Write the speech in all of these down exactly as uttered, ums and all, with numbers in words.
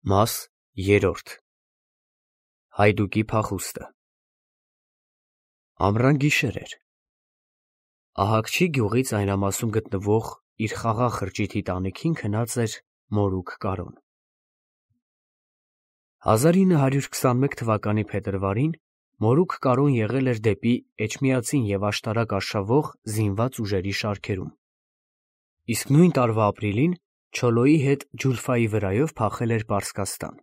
Մաս երրորդ Հայդուկի փախուստը Ամռան գիշեր էր։ Ահակչի գյուղից այնամասում գտնվող իր խաղաղ խրճիթի տանիքին քնած էր մորուք Կարոն։ հազար ինը հարյուր քսանմեկ թվականի փետրվարին մորուք Կարոն եղել էր դեպի Էջմիածին և աշտարակ արշավող զինված ուժերի շարքերում, իսկ նույն տարվա ապրիլին Չոլոյի հետ Ջուլֆայի վրայով փախել էր Պարսկաստան։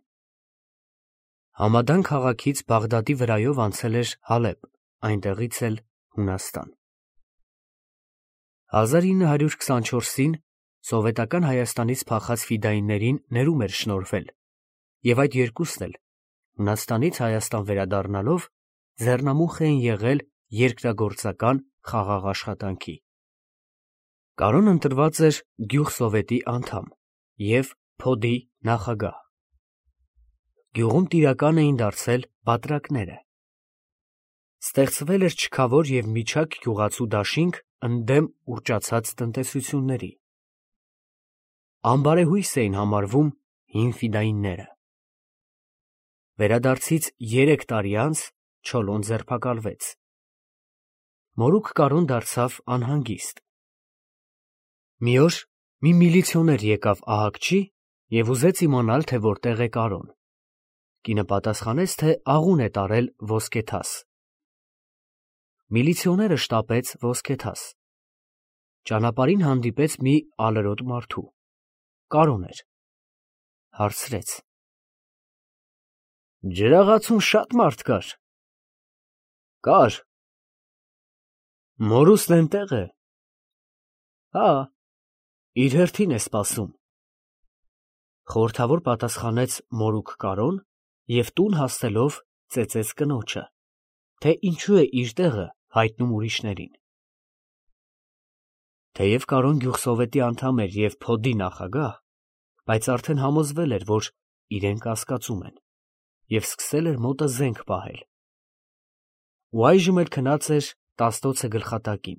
Համադան քաղաքից Բաղդադի վրայով անցել էր Հալեբ, այնտեղից էլ Հունաստան։ հազար ինը հարյուր քսանչորսին սովետական Հայաստանից փախած ֆիդայիններին ներում էր շնորհվել, և այդ երկուսն էլ, Հունաստանից Հայաստան վերադառնալով, ձեռնամուխ էին եղել երկրագործական խաղաղ աշխատանքի։ Կարոն ընտրված էր գյուղսովետի անդամ և փոդի նախագահ։ Գյուղում տիրական էին դարձել բատրակները։ Ստեղծվել էր չքավոր և միջակ գյուղացու դաշինք ընդդեմ ուռճացած տնտեսությունների։ Անբարեհույս էին համարվում հին ֆիդայինները։ Վերադարձից երեք տարի անց Չոլոն ձերբակալվեց։ Մորուք Կարոն դարձավ անհանգիստ։ Մի օր մի միլիցիոներ եկավ ահակչի և ուզեց իմանալ, թե որտեղ է Կարոն։ Կինը պատասխանեց, թե աղուն է տարել ոսկեթաս։ Միլիցիոները շտապեց ոսկեթաս։ Ճանապարհին հանդիպեց մի ալրոտ մարդու։ Կարոն էր։ Հարցրեց. Ջրաղացուն շատ մարդ կար։ Կար։ Մորուսն էնտեղ է։ Հա, իր հերթին է սպասում։ Խորհրդավոր պատասխանեց մորուք Կարոն և տուն հասնելով ծեծեց կնոջը, թե ինչու է իր տեղը հայտնում ուրիշներին։ Թեև Կարոն գյուղսովետի անդամ էր և փոդի նախագահ, բայց արդեն համոզվել էր, որ իրեն կասկածում են, և սկսել էր մոտը զենք պահել։ Ու այժմ էլ քնած էր տասնոցը գլխատակին։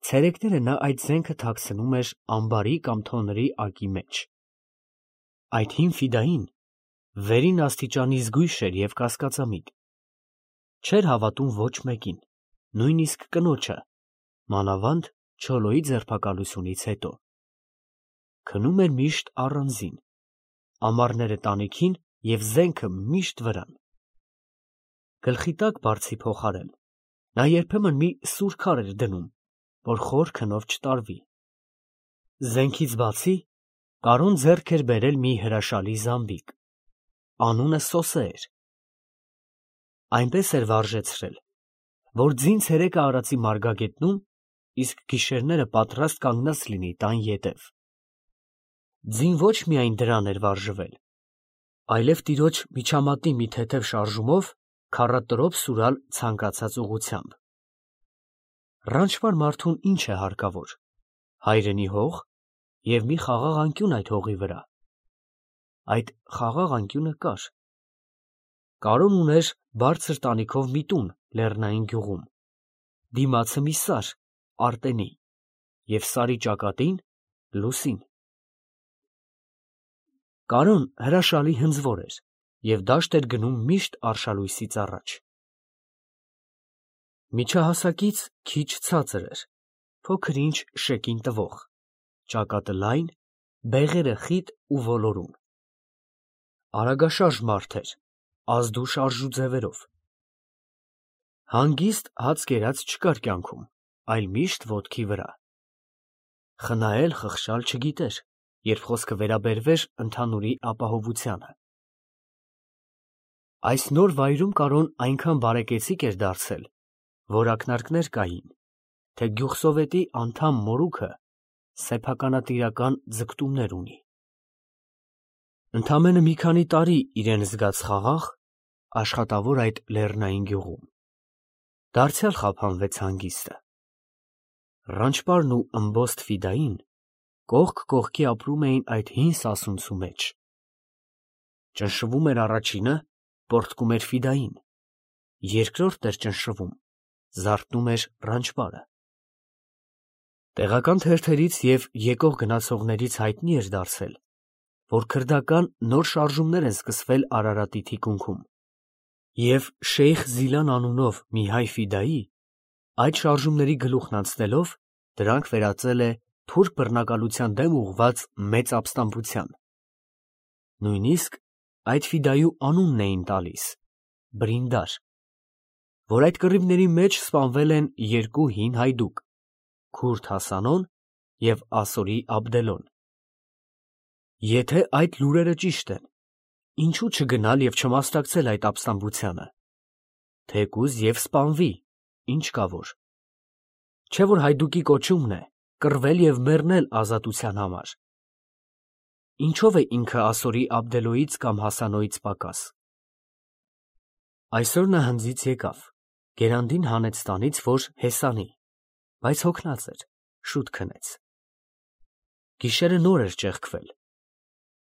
Ցերեկները նա այդ զենքը թաքցնում էր ամբարի կամ թոնրի ակի մեջ։ Այդ հին ֆիդային վերին աստիճանի զգույշ էր և կասկածամիտ։ Չէր հավատում ոչ մեկին, նույնիսկ կնոջը, մանավանդ Չոլոյի ձերբակալությունից հետո։ Քնում էր միշտ առանձին, ամառները տանիքին և զենքը միշտ վրան։ Գլխի տակ բարձի փոխարեն նա երբեմն մի սուր քար էր դնում, որ խոր քնով չտարվի։ Զենքից բացի Կարոն ձեռք էր բերել մի հրաշալի զամբիկ։ Անունը Սոսե էր։ Այնպես էր վարժեցրել, որ ձին ցերեկը արածի մարգագետնում, իսկ գիշերները պատրաստ կանգնած լինի տան ետև։ Ձին ոչ միայն դրան էր վարժվել, այլև տիրոջ միջամատի մի թեթև շարժումով քառատրոփ սուրալ ցանկացած ուղղությամբ։ Ռանչվար մարդուն ինչ է հարկավոր, հայրենի հող և մի խաղաղ անկյուն այդ հողի վրա։ Այդ խաղաղ անկյունը կար։ Կարոն ուներ բարձր տանիքով մի տուն լեռնային գյուղում, դիմացը մի սար, արտենի, և սարի ճակատին լուսին։ Կարոն հրաշալի հնձվոր էր և դաշտ էր գնում միշտ արշալույսից առաջ։ Միջահասակից քիչ ցածր էր, փոքր֊ինչ շեկին տվող, ճակատը լայն, բեղերը խիտ ու ոլորուն։ Արագաշարժ մարդ էր, ազդու շարժու ձևերով։ Հանգիստ հաց կերած չկար կյանքում, այլ միշտ ոտքի վրա։ Խնայել, խղճալ չգիտեր, երբ խոսքը վերաբերվեր ընդհանուրի ապահովությանը։ Այս նոր վայրում Կարոն այնքան բարեկեցիկ էր դարձել, որ ակնարկներ կային, թե գյուղսովետի անդամ մորուքը սեփականատիրական ձգտումներ ունի։ Ընդամենը մի քանի տարի իրեն զգաց խաղաղ, աշխատավոր այդ լեռնային գյուղում։ Դարձյալ խափանվեց հանգիստը։ Ռանչպարն ու ըմբոստ ֆիդային կողք կողքի ապրում էին այդ հին սասունցու մեջ։ Ճնշվում էր առաջինը, պոռթկում էր ֆիդային, երկրորդն էր ճնշվում, զարթնում էր ռանչպարը։ Տեղական թերթերից և եկող գնացողներից հայտնի էր դարձել, որ քրդական նոր շարժումներ են սկսվել Արարատի թիկունքում, և Շեյխ Զիլան անունով մի հայ ֆիդայի, այդ շարժումների գլուխն անցնելով, դրանք վերածել է թուրք բռնակալության դեմ ուղղված մեծ ապստամբության։ Նույնիսկ այդ ֆիդայու անունն էին տալիս՝ Բրինդար, որ այդ կռիվների մեջ սպանվել են երկու հին հայդուկ՝ քուրդ Հասանոն և ասորի Աբդելոն։ Եթե այդ լուրերը ճիշտ են, ինչու չգնալ և չմասնակցել այդ ապստամբությանը, թեկուզ և սպանվի, ինչ կա որ, չէ՞ որ հայդուկի կոչումն է կռվել և մեռնել ազատության համար։ Ինչո՞վ է ինքը ասորի Աբդելոյից կամ Հասանոյից պակաս։ Այսօր նա հնձից եկավ, գերանդին հանեց տանից, որ հեսանի, բայց հոգնած էր, շուտ քնեց։ Գիշերը նոր էր ճեղքվել։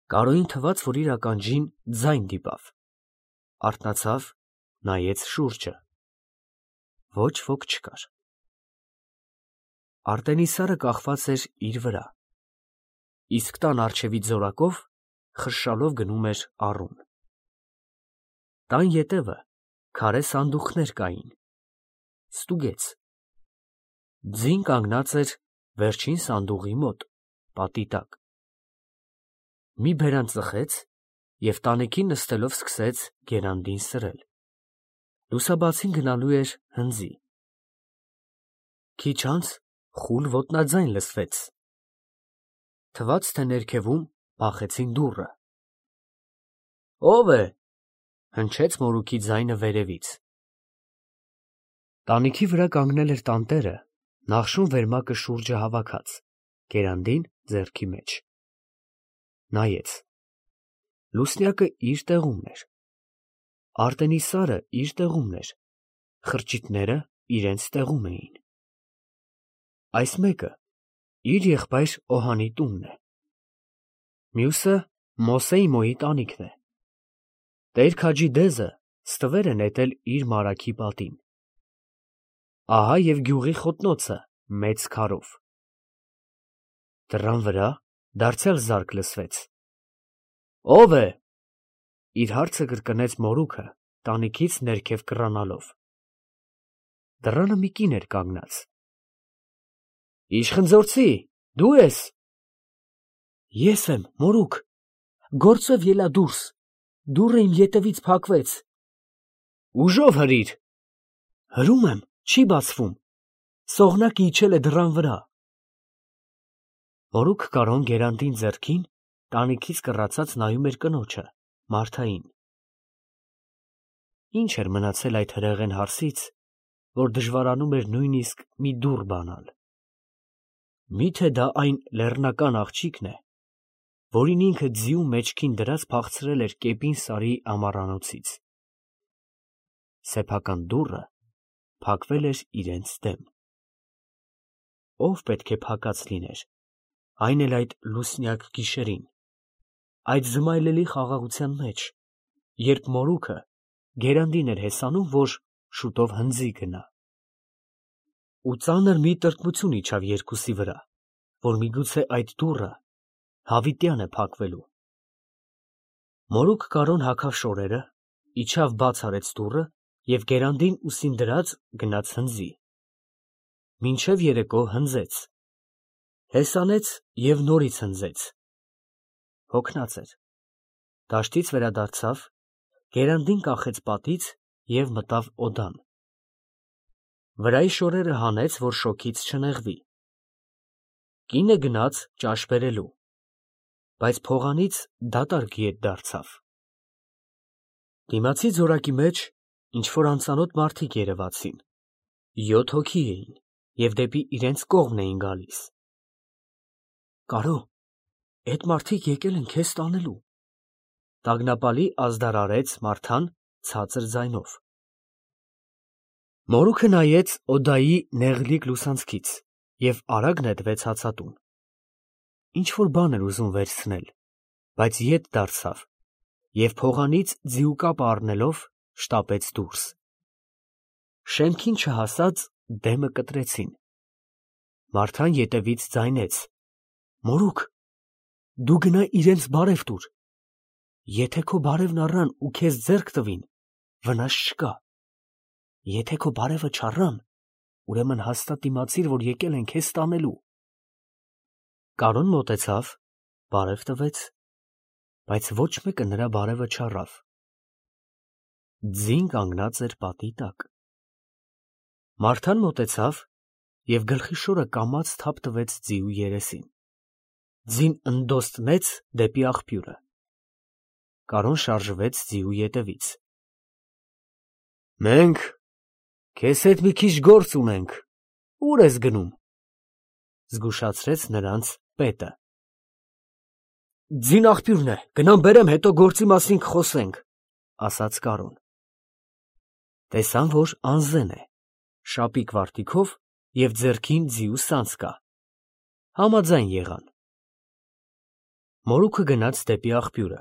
Կարոյին թվաց, որ իր ականջին ձայն դիպավ, արթնացավ, նայեց շուրջը։ Ոչ ոք չկար։ Արտենիսարը կախված էր իր վրա, իսկ տան առջևից զորակով խրշալով գնում էր առուն։ Տան ետևը քարե սանդուղքներ կային, ստուգեց։ Ձին կանգնած էր վերջին սանդուղի մոտ, պատի տակ։ Մի բերան ծխեց և տանիքին նստելով սկսեց գերանդին սրել։ Լուսաբացին գնալու էր հնձի։ Քիչ անց խուլ ոտնաձայն լսվեց։ Թվաց, թե ներքևում բախեցին դուռը։ «Ո՞վ է» հնչեց մորուքի ձայնը վերևից։ Տանիքի վրա կանգնել էր տանտերը, նախշում վերմակը շուրջը հավաքած, գերանդին ձեռքի մեջ։ Նայեց։ Լուսնյակը իր տեղումն էր, Արտենիսարը իր տեղումն էր, խրճիթները իրենց տեղում էին։ Այս մեկը իր եղբայր Օհանի տունն է, մյուսը Մոսեիմոյի տանիքն է։ Տեր-Քաջի Դեզը ստվեր է նետել իր մարագի պատին։ Ահա և գյուղի խոտնոցը մեծ քարով։ Դռան վրա դարձյալ զարկ լսվեց։ «Ո՞վ է» իր հարցը կրկնեց մորուքը, տանիքից ներքև կռանալով։ Դռանը մի կին էր կանգնած։ «Իշխխնձորցի, դու ե՞ս»։ Ես եմ, մորուք, գործով ելա դուրս, դուռը իմ ետևից փակվեց։ Ուժով հրիր։ Հրում եմ, չի բացվում, սողնակը իջել է դռան վրա։ Մորուք Կարոն գերանդին ձեռքին տանիքից կռացած նայում էր կնոջը, Մարթային։ Ինչ էր մնացել այդ հրեղեն հարսից, որ դժվարանում էր նույնիսկ մի դուռ բանալ։ Մի՞թե դա այն լեռնական աղջիկն է, որին ինքը ձիու մեջքին դրած փախցրել էր Կեպին Սարի ամառանոցից։ Սեփական դուռը փակվել էր իրենց դեմ։ Ո՞վ պետք է փակած լիներ, այն էլ այդ լուսնյակ գիշերին, այդ զմայլելի խաղաղության մեջ, երբ մորուքը գերանդին էր հեսանում, որ շուտով հնձի գնա։ Ու ծանր մի տրտմություն իջավ երկուսի վրա, որ միգուցե այդ դուռը հավիտյան է փակվելու։ Մորուք Կարոն հագավ շորերը, իջավ բաց արեց դուռը և գերանդին ուսին դրած գնաց հնձի։ Մինչև երեկո հնձեց, հեսանեց և նորից հնձեց։ Հոգնած էր, դաշտից վերադարձավ, գերանդին կախեց պատից և մտավ օդան։ Վրայի շորերը հանեց, որ շոգից չնեղվի։ Կինը գնաց ճաշ բերելու, բայց փողանից դատարկ ետ դարձավ։ Դիմացի ձորակի մեջ ինչ֊որ անծանոթ մարդիկ երևացին, յոթ հոգի էին և դեպի իրենց կողմն էին գալիս։ Կարո, էդ մարդիկ եկել են քեզ տանելու, տագնապալի ազդարարեց Մարթան ցածր ձայնով։ Մորուքը նայեց օդայի նեղլիկ լուսանցքից և արագ նետվեց հացատուն։ Ինչ֊որ բան էր ուզում վերցնել, բայց ետ դարձավ և փողանից ձիու կապը առնելով շտապեց դուրս։ Շեմքին չհասած դեմը կտրեցին։ Մարթան ետևից ձայնեց. «Մորուք, դու գնա իրենց բարև տուր, եթե քո բարևն առան ու քեզ ձեռք տվին, վնաս չկա, եթե քո բարևը չառան, ուրեմն հաստատ իմացիր, որ եկել են քեզ տանելու։ Կարոն մոտեցավ, բարև տվեց, բայց ոչ մեկը նրա բարևը չառավ։ Ձին կանգնած էր պատի տակ։ Մարթան մոտեցավ և գլխի շորը կամաց թափ տվեց ձիու երեսին։ Ձին ընդոստնեց դեպի աղբյուրը։ Կարոն շարժվեց ձիու ետևից։ Մենք քեզ հետ մի քիչ գործ ունենք, ուր ես գնում, զգուշացրեց նրանց պետը։ Ձին աղբյուրն է, գնամ բերեմ, հետո գործի մասին կխոսենք, ասաց Կարոն։ Տեսան, որ անզեն է, շապիկ վարտիքով և ձեռքին ձիու սանձ կա։ Համաձայն եղան։ Մորուքը գնաց դեպի աղբյուրը։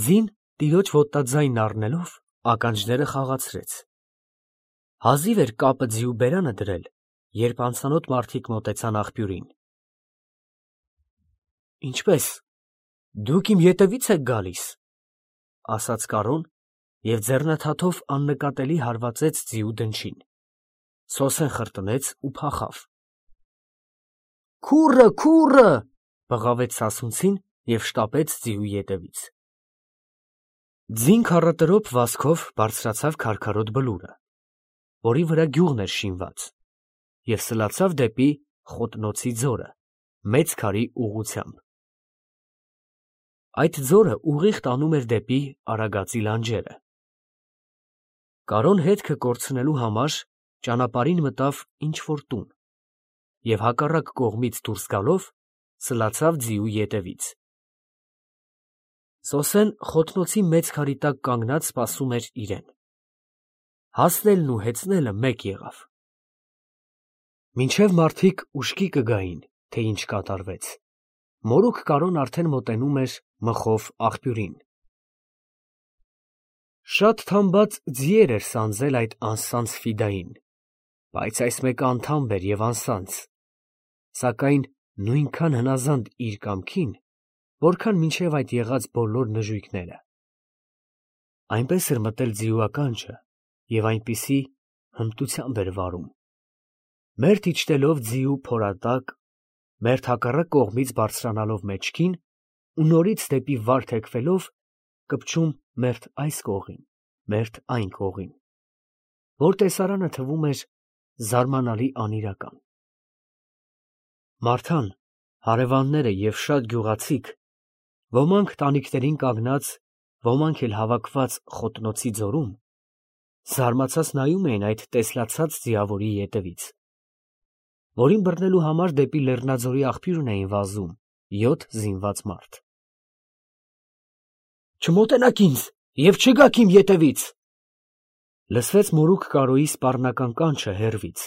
Ձին տիրոջ ոտածայնն առնելով ականջները խաղացրեց։ Հազիվ էր կապը ձիու բերանը դրել, երբ անծանոթ մարդիկ մոտեցան աղբյուրին։ Ինչպե՞ս, դուք իմ ետևի՞ց եք գալիս, ասաց Կարոն և ձեռնաթաթով աննկատելի հարվածեց ձիու դնչին, սոսեն խրտնեց ու փախավ։ Քուռը, քուռը, բղավեց սասունցին և շտապեց ձիու ետևից։ Ձին քառատրոփ վազքով բարձրացավ քարքարոտ բլուրը, որի վրա գյուղն էր շինված, և սլացավ դեպի Խոտնոցի ձորը, մեծ քարի ուղղությամբ։ Այդ ձորը ուղիղ տանում էր դեպի Արագածի լանջերը։ Կարոն հետքը կորցնելու համար ճանապարհին մտավ ինչ-որ տուն և հակառակ կողմից դուրս գալով սլացավ ձիու ետևից։ Սոսեն խոտնոցի մեծ քարի տակ կանգնած սպասում էր իրեն։ Հասնելն ու հեծնելը մեկ եղավ։ Մինչև մարդիկ ուշքի կգային, թե ինչ կատարվեց, մորուք Կարոն արդեն մոտենում էր մխով աղբյուրին։ Շատ թամբած ձիեր էր սանձել այդ անսանձ Ֆիդային, բայց այս մեկը անդամբ էր և անսանձ, սակայն նույնքան հնազանդ իր կամքին, որքան մինչև այդ եղած բոլոր նժույգները։ Այնպես էր մտել ձիու ականջը և այնպիսի հմտությամբ էր վարում, մերթ իջնելով ձիու փորատակ, մերթ հակառակ կողմից բարձրանալով մեջքին ու նորից դեպի վար թեքվելով կպչում մերթ այս կողին, մերթ այն կողին, որ տեսարանը թվում էր զարմանալի անիրական։ Մարթան, հարևանները և շատ գյուղացիք, ոմանք տանիքներին կանգնած, ոմանք էլ հավաքված Խոտնոցի ձորում, զարմացած նայում էին այդ տեսլացած ձիավորի ետևից, որին բռնելու համար դեպի Լեռնաձորի աղբյուրն էին վազում յոթ զինված մարդ։ Չմոտենաք ինձ և չգաք իմ ետևից, լսվեց մորուք Կարոյի սպառնական կանչը հեռվից,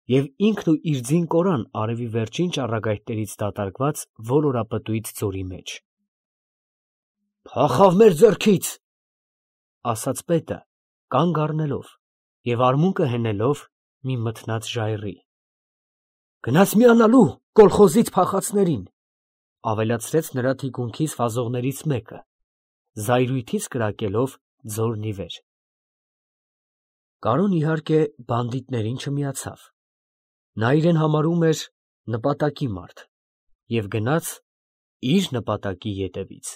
և ինքն ու իր ձին կորան արևի վերջին ճառագայթներից դատարկված ոլորապտույտ ձորի մեջ։ Փախավ մեր ձեռքից, ասաց պետը, կանգ առնելով և արմունկը հենելով մի մթնած ժայռի։ Գնաց միանալու կոլխոզից փախածներին, ավելացրեց նրա թիկունքից վազողներից մեկը, զայրույթից կրակելով ձորն ի վեր։ Կարոն իհարկե բանդիտներին չմիացավ, նա իրեն համարում էր նպատակի մարդ և գնաց իր նպատակի ետևից։